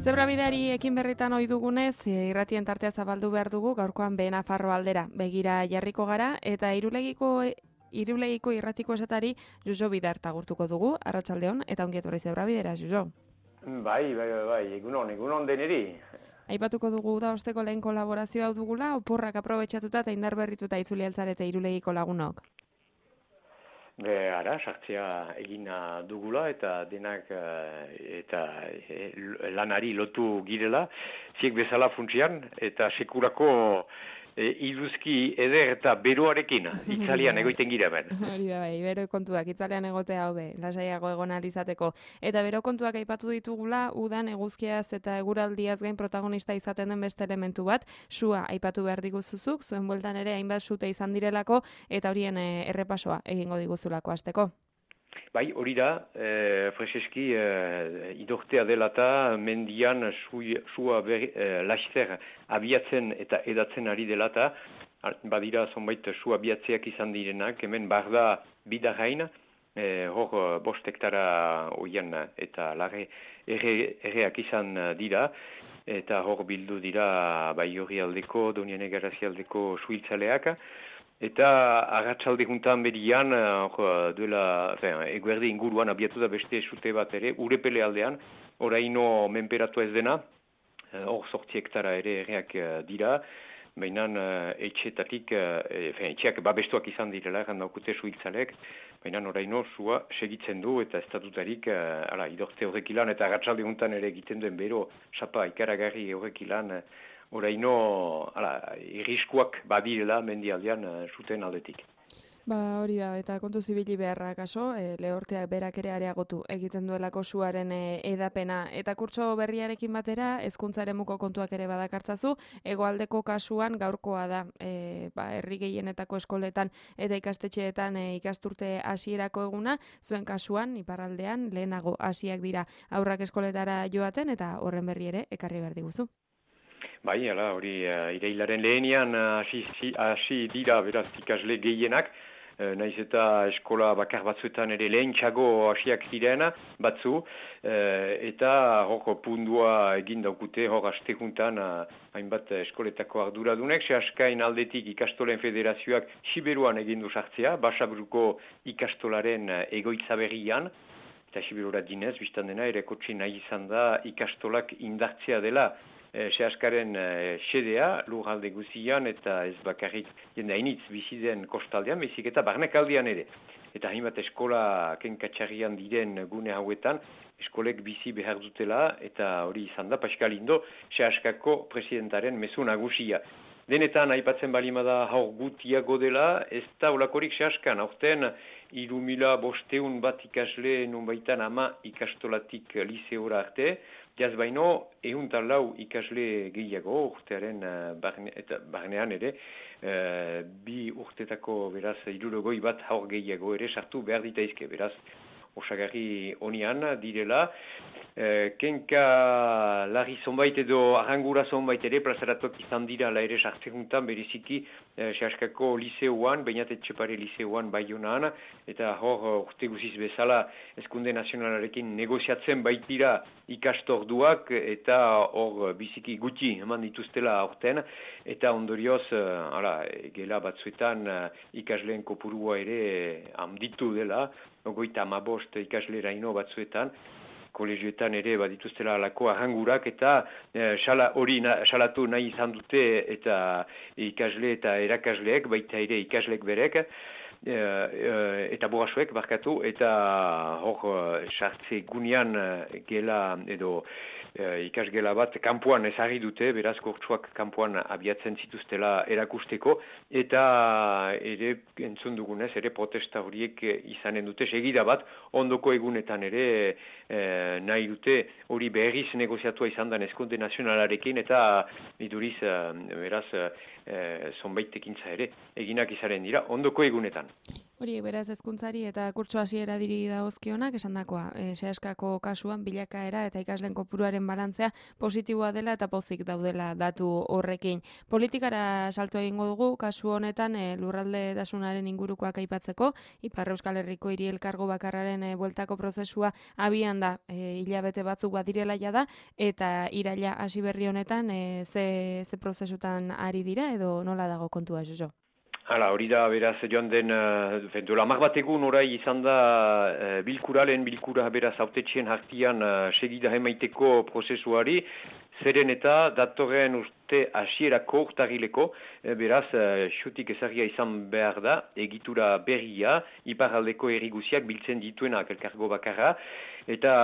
Zebrabideari ekin berritan ohi dugunez, irratien tartea zabaldu behar dugu, gaurkoan Nafarroa aldera begira jarriko gara, eta Irulegiko irratiko esatari Jojo Bidarta gurtuko dugu, arratsaldeon, eta ongi etorri Zebrabidera, Jojo. Bai, egunon deneri. Aipatuko dugu da osteko lehen kolaborazioa hau dugula, oporrak aprobetxatuta eta indar berrituta itzuli altzarete Irulegiko lagunok. Ara, sartzea egina dugula eta denak lanari lotu girela, ziek bezala funtsian eta sekurako iduzki eder eta beroarekin itzalian egoiten gira ben. Hori da bai, bero kontuak itzalean egotea hobe, lasaiago egon ahal izateko. Eta bero kontuak aipatu ditugula, udan eguzkiaz eta eguraldiaz gain protagonista izaten den beste elementu bat, sua aipatu behar diguzuzuk, zuen bueltan ere hainbat sute izan direlako, eta horien errepasoa egingo diguzulako hasteko. Bai, hori da, freseski idortea dela eta mendian sua laster abiatzen eta edatzen ari dela eta badira zonbait su abiatzeak izan direnak, hemen barda bidarrain, hor 5 hektara oian eta lare erreak izan dira, eta hor bildu dira Baiorri aldeko, Doniane Garazi aldeko suhiltzaleak, eta arratsalde juntan berian, eguerdi inguruan abiatu da beste sute bat ere, Urepele aldean, oraino menperatu ez dena, hor 8 hektara ere erreak dira, baina etxeetatik, etxeak babestuak izan direla, gandaukute suhiltzalek, baina oraino sua segitzen du eta estatutarik idorte horrek ilan, eta arratsalde juntan ere egiten duen bero, sapa ikaragarri horrek ilan, oraino irriskuak badirela mendialdean zuten aldetik. Ba hori da, eta kontu zibili beharra kaso, lehorteak berak ere areagotu egiten duelako suaren edapena. Eta kurtso berriarekin batera, hezkuntza eremuko kontuak ere badakartzazu, hegoaldeko kasuan gaurkoa da, herri gehienetako eskoletan eta ikastetxeetan ikasturte hasierako eguna, zuen kasuan, iparraldean, lehenago hasiak dira aurrak eskoletara joaten, eta horren berri ere ekarri behar diguzu. Bai, hori irailaren lehenian hasi dira beraz ikasle gehienak, naiz eta eskola bakar batzuetan ere lehentxago hasiak ziren batzu, eta hor pundua egin daukute, hor aste juntan hainbat eskoletako arduradunek, sehaskain aldetik ikastolen federazioak Siberuan egin du sartzea, Basabruko ikastolaren egoitza berrian, eta Siberura dinez, biztan dena ere kotxe nahi izan da ikastolak indartzea dela, sehaskaren xedea, lurralde guzian eta ez bakarrik jende hainitz biziden kostaldean, bezik eta barnekaldean ere. Eta hainbat eskola kenkatxarrian diren gune hauetan, eskolek bizi behar dutela, eta hori izan da, Pascal Indo, sehaskako presidentaren mezu nagusia. Denetan, aipatzen balimada haur gutiago dela, ez da olakorik sehaskan, aurten 3.500 bat ikasle nunbaitan 10 ikastolatik liseora arte, jaz baino, 104 ikasle gehiago urtearen barnean ere, 2 urtetako beraz 60 bat haur gehiago ere sartu behar ditaizke, beraz osagarri honian direla. Kenka larri zonbait edo arrangura zonbait ere plazaratuak izan dira la ere sartzeruntan beriziki sehaskako liseuan, Beñat Etxepare liseuan Baionaan, eta hor urte guziz bezala Hezkunde Nazionalarekin negoziatzen baitira ikastorduak, eta hor biziki gutxi eman dituztela aurten, eta ondorioz gela batzuetan ikasleen kopurua ere handitu dela, 55 ikasleraino batzuetan, kolegioetan ere badituztela alako arrangurak, eta hori salatu nahi izan dute eta ikasle eta erakasleek, baita ere ikasleek berek, eta borrasuek barkatu, eta hor sartze gunean gela edo ikasgela bat kanpoan ezarri dute, beraz kurtsuak kanpoan abiatzen zituztela erakusteko, eta ere entzun dugunez, ere protesta horiek izanen dute segida bat, ondoko egunetan ere nahi dute hori berriz negoziatua izan da Hezkunde Nazionalarekin, eta iduriz beraz zonbait ekintza ere eginak izaren dira ondoko egunetan. Horiek beraz hezkuntzari eta kurtso hasiera diri dagozkionak esandakoa. Seaskako kasuan bilakaera eta ikasleen kopuruaren balantzea positiboa dela eta pozik daudela datu horrekin. Politikara salto egingo dugu kasu honetan lurraldetasunaren ingurukoak aipatzeko, Ipar Euskal Herriko hiri elkargo bakarraren bueltako prozesua abian da, hilabete batzuk badirela jada, eta iraila hasi berri honetan ze prozesutan ari dira edo nola dago kontua, Jojo? Hala, hori da, beraz, joan den, dola mar bat egun orai izan da bilkura beraz autetxien hartian segida emaiteko prozesuari, zeren eta datorren urte hasierako urtarrileko, beraz, xutik ezagia izan behar da, egitura berria, iparraldeko erriguziak biltzen dituenak elkargo bakarra, eta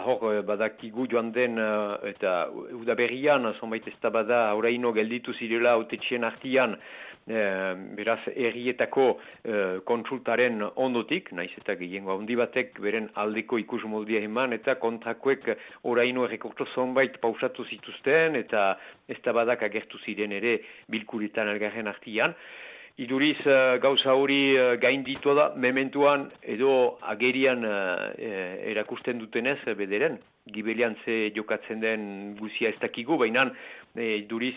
hor badakigu joan den, eta udaberrian, zonbait ez da bada, oraino gelditu zirela autetxien hartian, beraz, errietako kontsultaren ondotik, naiz eta gehiengo handi batek beren aldeko ikusmoldia eman, eta kontrakoek oraino errekorto zonbait pausatu zituzten, eta ez da badak agertu ziren ere bilkuretan elgarren artian. Iduriz gauza hori gainditua da, mementuan edo agerian erakusten dutenez bederen. Gibelian ze jokatzen den guzia ez dakigu, baina iduriz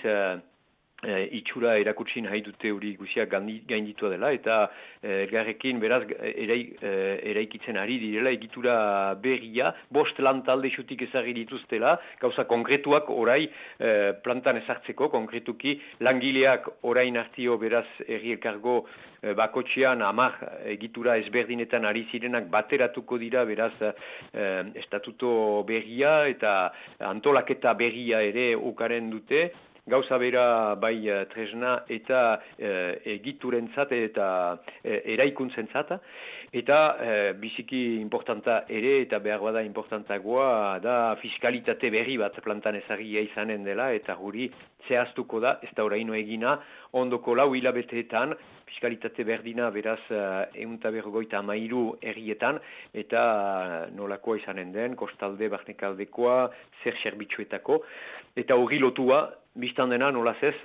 itxura erakutsin nahi dute hori guzia gainditua dela, eta elgarrekin beraz eraikitzen ari direla egitura berria, 5 lantalde xutik ezagri dituztela, gauza konkretuak orai plantan ezartzeko, konkretuki langileak orain hartio beraz herri elkargo bakotxean 10 egitura ezberdinetan ari zirenak bateratuko dira beraz estatuto berria eta antolaketa berria ere ukaren dute, gauza bera bai tresna eta egiturentzat eta eraikuntzentzat, eta biziki importanta ere eta behar bada importantagoa da fiskalitate berri bat plantan ezagia izanen dela, eta guri zehaztuko da, ez da oraino egina, ondoko 4 hilabeteetan, fiskalitate berdina beraz 153 herrietan, eta nolakoa izanen den, kostalde, barnekaldekoa, zer zerbitzuetako, eta hori lotua, biztan dena nolaz ez,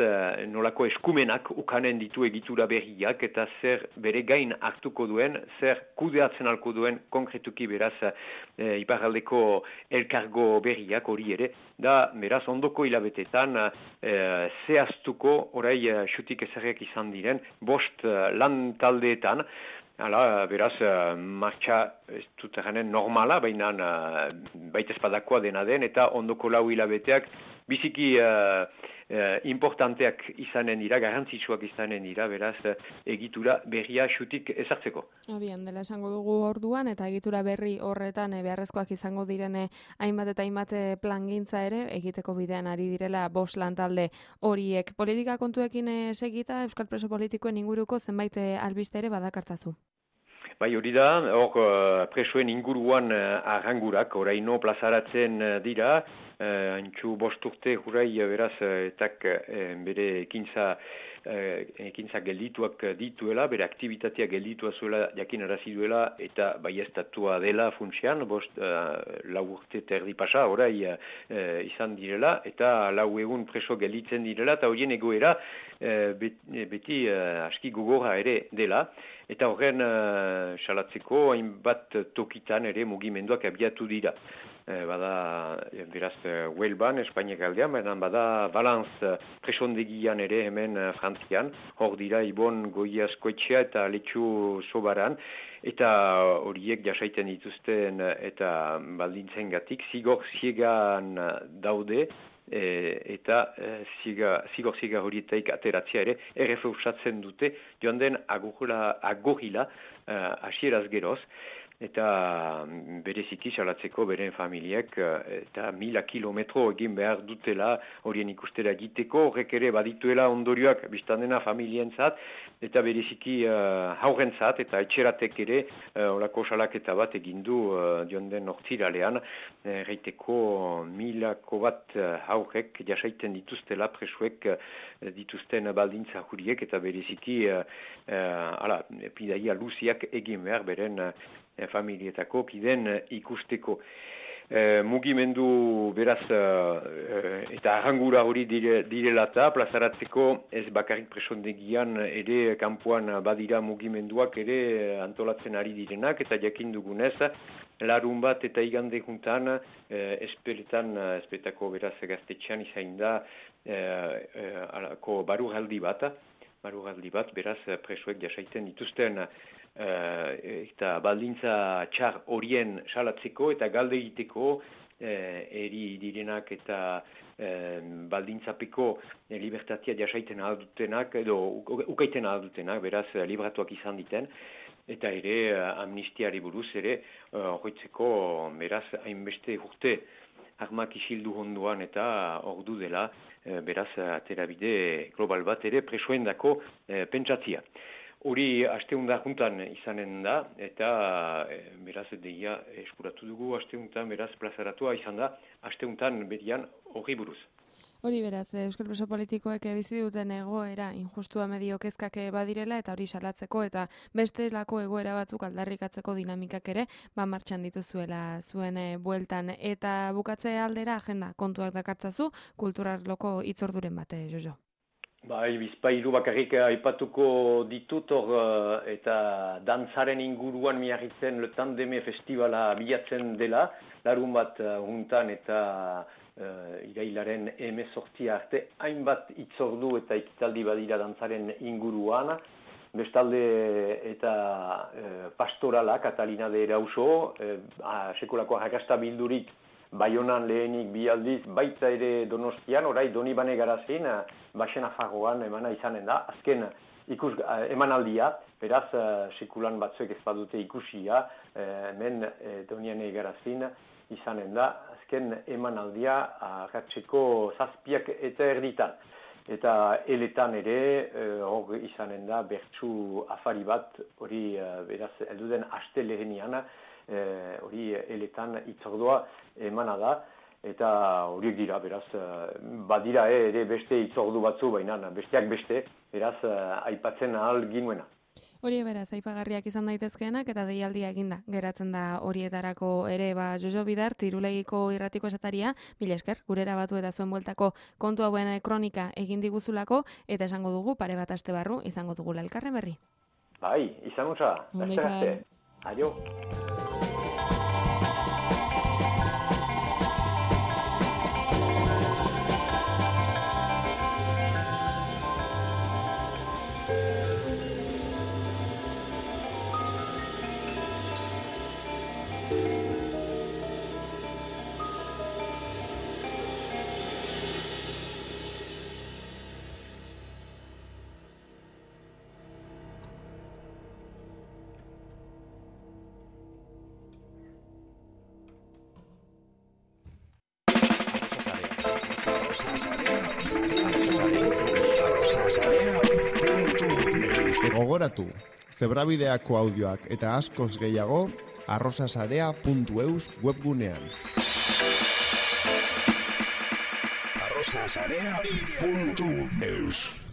nolako eskumenak ukanen ditu egitura berriak, eta zer bere gain hartuko duen, zer kudeatzen alko duen konkretuki beraz iparraldeko elkargo berriak hori ere, da beraz ondoko hilabetetan zehaztuko orai xutik ezarriak izan diren 5 lan taldeetan. Hala, beraz, martxa ez dut eranen normala, baina baita espadakoa dena den, eta ondoko 4 hilabeteak biziki importanteak izanen dira, garrantzitsuak izanen dira, beraz, egitura berria xutik ezartzeko. Abian, dela esango dugu orduan, eta egitura berri horretan beharrezkoak izango direne hainbat eta hainbat plangintza ere, egiteko bidean ari direla 5 lantalde horiek. Politika kontuekin segita, Euskal Preso Politikoen inguruko zenbait albiste ere badakartazu. Bai, hori da, hor presoen inguruan arrangurak, oraino plazaratzen dira, antxu 5 urte jurai beraz, etak bere ekintza geldituak dituela, bere aktivitatea gelditua zuela jakin arazi duela, eta baieztatua dela funtsean, 4 urte terdi pasa, orai izan direla, eta 4 egun preso gelditzen direla, eta horien egoera beti aski gogorra ere dela, eta horren salatzeko hainbat tokitan ere mugimenduak abiatu dira. Bada, beraz, Huelban, Espainiak aldean, bada Balanz presondegian ere hemen Frantzian, hor dira Ibon Goiazkoetxea eta Letxu Sobaran, eta horiek jasaiten dituzten eta baldintzen gatik, zigor ziegan daude, eta zigor ziega horietaik ateratzea ere errefeusatzen dute, joan den agorila hasieraz geroz, eta bereziki salatzeko beren familiek eta 1000 kilometro egin behar dutela horien ikustera egiteko, horrek ere badituela ondorioak biztandena familientzat, eta bereziki haurrentzat eta etxeratek ere horako salaketa bat egindu joan den hortziralean, reiteko 1000 bat haurrek jasaiten dituztela presuek dituzten baldintza juriek, eta bereziki pidaia luziak egin behar beren familietako kiden ikusteko. mugimendu beraz eta arrangura hori direla eta plazaratzeko ez bakarrik presondegian ere kanpoan badira mugimenduak ere antolatzen ari direnak eta jakin dugunez larun bat eta igande juntan espetako beraz gaztetxean izain da baruraldi bat beraz presoek jasaiten dituzten eta baldintza txar horien salatzeko eta galde egiteko eri direnak eta baldintzapeko libertatia jasaiten aldutenak edo ukaiten aldutenak beraz libratuak izan diten eta ere amnistiari buruz ere hoitzeko beraz hainbeste urte armak isildu honduan eta ordu dela beraz aterabide global bat ere presoendako pentsatzia. Hori asteunda juntan izanen da eta beraz deia eskuratu dugu asteuntan beraz plazaratua izan da asteuntan berian horri buruz. Hori beraz, euskal preso politikoek bizi duten egoera injustua medio kezkak badirela eta hori salatzeko eta bestelako egoera batzuk aldarrikatzeko dinamikak ere martxan dituzuela zuen bueltan eta bukatze aldera agenda kontuak dakartzazu kulturarloko hitzorduren bat, Jojo. Bai, bizpailu bakarrik aipatuko ditut eta dantzaren inguruan miarritzen Le Tandeme Festivala bilatzen dela, larun bat juntan eta irailaren 18 arte, hainbat hitzordu eta ekitaldi badira dantzaren inguruan, bestalde eta pastorala, Katalina de Erauso, sekolako arrakasta bildurik, Baionan lehenik bi aldiz, baita ere Donostian, orai Donibane Garazin, Baxena Fagoan emana izanen da. Azken emanaldia, beraz, sekulan batzuek ez badute ikusia, hemen Donibane Garazin izanen da. Azken emanaldia agatzeko 7 eta erditan. Eta eletan ere, hor izanen da, bertsu afari bat, hori beraz, elduden aste lehenian, hori eletan hitzordua emana da, eta horiek dira, beraz, badira ere beste hitzordu batzu, baina besteak beste, beraz, aipatzen ahal ginuena. Hori beraz, aipagarriak izan daitezkeenak eta deialdia eginda geratzen da horietarako ere, Jojo Bidar, Irulegiko irratiko esataria, mila esker, gurera batu eta zuen bueltako kontu hauen kronika egin diguzulako, eta esango dugu pare bat aste barru izango dugula elkarren berri. Bai, izan utza, arte. Aio. Gogoratu, Zebrabideako audioak eta askoz gehiago arrosasarea.eus webgunean. arrosasarea.eus